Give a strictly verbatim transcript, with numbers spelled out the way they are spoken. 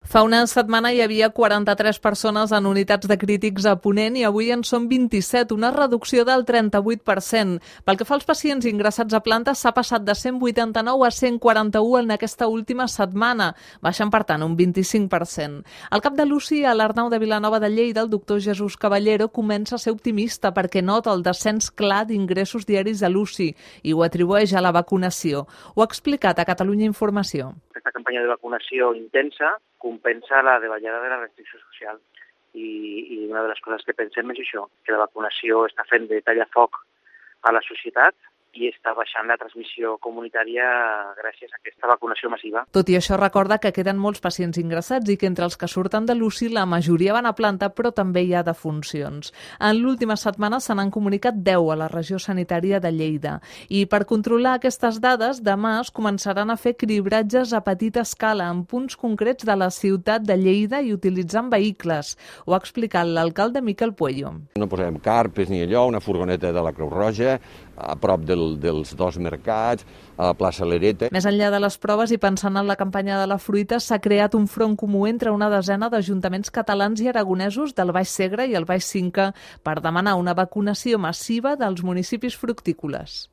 Fa una setmana hi havia quaranta-tres persones en unitats de crítics a Ponent i avui en són vint-i-set, una reducció del trenta-vuit per cent. Pel que fa als pacients ingressats a planta, s'ha passat de cent vuitanta-nou a cent quaranta-u en aquesta última setmana, baixant per tant un vint-i-cinc per cent. El cap de l'U C I a l'Arnau de Vilanova de Lleida, el doctor Jesús Caballero, comença a ser optimista perquè nota el descens clar d'ingressos diaris a l'U C I i ho atribueix a la vacunació. Ho ha explicat a Catalunya Informació. Aquesta campanya de vacunació intensa compensa la davallada de la restricció social i, i una de les coses que pensem és això, que la vacunació està fent de tallafoc a la societat i està baixant la transmissió comunitària gràcies a aquesta vacunació massiva. Tot i això, recorda que queden molts pacients ingressats i que entre els que surten de l'U C I la majoria van a planta, però també hi ha defuncions. En l'última setmana se n'han comunicat deu a la regió sanitària de Lleida. I per controlar aquestes dades, demà es començaran a fer cribratges a petita escala en punts concrets de la ciutat de Lleida i utilitzant vehicles. Ho ha explicat l'alcalde Miquel Puello. No posem carpes ni allò, una furgoneta de la Creu Roja, a prop del, dels dos mercats, a la plaça Lereta. Més enllà de les proves i pensant en la campanya de la fruita, s'ha creat un front comú entre una desena d'ajuntaments catalans i aragonesos del Baix Segre i el Baix Cinca per demanar una vacunació massiva dels municipis fructícoles.